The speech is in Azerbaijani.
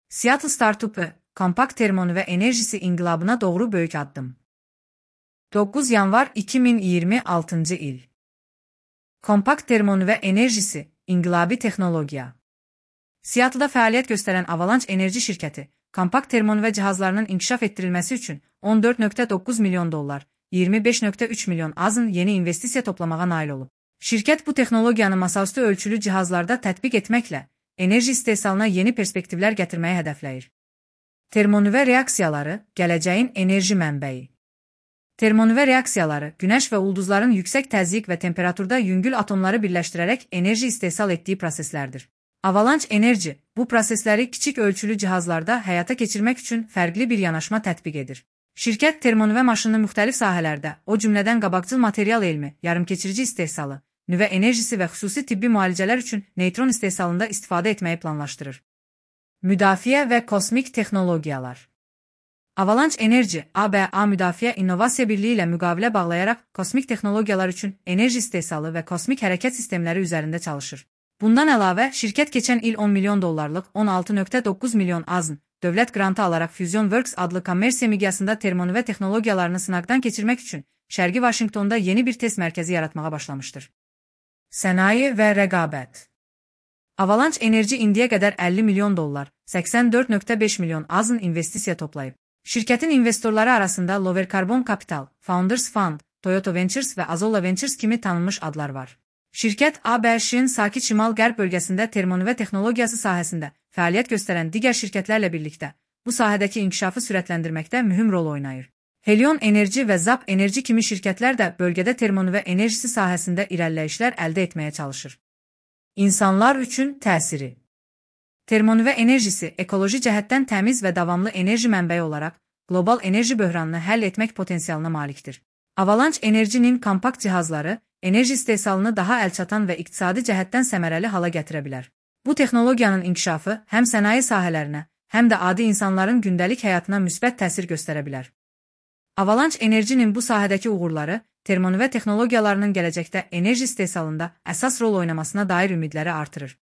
Seattle startupı, kompakt termonüve enerjisi inqilabına doğru böyük addım. 9 yanvar 2026 il. Kompakt termonüve enerjisi, inqilabi texnologiya. Seattle'da fəaliyyət göstərən Avalanche Enerji şirkəti, kompakt termonüve cihazlarının inkişaf etdirilməsi üçün $14.9 milyon, 25.3 milyon AZ'ın yeni investisiya toplamağa nail olub. Şirkət bu texnologiyanı masaüstü ölçülü cihazlarda tətbiq etməklə enerji istehsalına yeni perspektivlər gətirməyi hədəfləyir. Termonüve reaksiyaları, gələcəyin enerji mənbəyi. Termonüve reaksiyaları, günəş və ulduzların yüksək təzyiq və temperaturda yüngül atomları birləşdirərək enerji istehsal etdiyi proseslərdir. Avalanche Enerji bu prosesləri kiçik ölçülü cihazlarda həyata keçirmək üçün fərqli bir yanaşma tətbiq edir. Şirkət termonüve maşınını müxtəlif sahələrdə, o cümlədən qabaqcıl material elmi, yarımkeçirici istehsalı, nüvə enerjisi və xüsusi tibbi müalicələr üçün neytron istehsalında istifadə etməyi planlaşdırır. Müdafiə və kosmik texnologiyalar. Avalanche Enerji, ABA Müdafiə İnnovasiya Birliyi ilə müqavilə bağlayaraq kosmik texnologiyalar üçün enerji istehsalı və kosmik hərəkət sistemləri üzərində çalışır. Bundan əlavə, şirkət keçən il $10 milyon, 16.9 milyon AZ'n dövlət qrantı alaraq FusionWorks adlı kommersiya miqyasında termonüve texnologiyalarını sınaqdan keçirmək üçün Şərqi Vaşinqtonda yeni bir test mərkəzi yaratmağa başlamışdır. Sənaye və rəqabət. Avalanche Enerji indiyə qədər $50 milyon, 84.5 milyon AZ'n investisiya toplayıb. Şirkətin investorları arasında Lower Carbon Capital, Founders Fund, Toyota Ventures və Azolla Ventures kimi tanınmış adlar var. Şirkət ABŞ-ın sakit şimal-qərb bölgəsində termonüve texnologiyası sahəsində fəaliyyət göstərən digər şirkətlərlə birlikdə bu sahədəki inkişafı sürətləndirməkdə mühüm rol oynayır. Helion Enerji və Zap Enerji kimi şirkətlər də bölgədə termonüve enerjisi sahəsində irəliləyişlər əldə etməyə çalışır. İnsanlar üçün təsiri. Termonüve enerjisi ekoloji cəhətdən təmiz və davamlı enerji mənbəyi olaraq qlobal enerji böhranını həll etmək potensialına malikdir. Avalanche Enerjinin kompakt cihazları enerji istehsalını daha əlçatan və iqtisadi cəhətdən səmərəli hala gətirə bilər. Bu texnologiyanın inkişafı həm sənaye sahələrinə, həm də adi insanların gündəlik həyatına müsbət təsir göstərə bilər. Avalanche Enerjinin bu sahədəki uğurları termonüve texnologiyalarının gələcəkdə enerji istehsalında əsas rol oynamasına dair ümidləri artırır.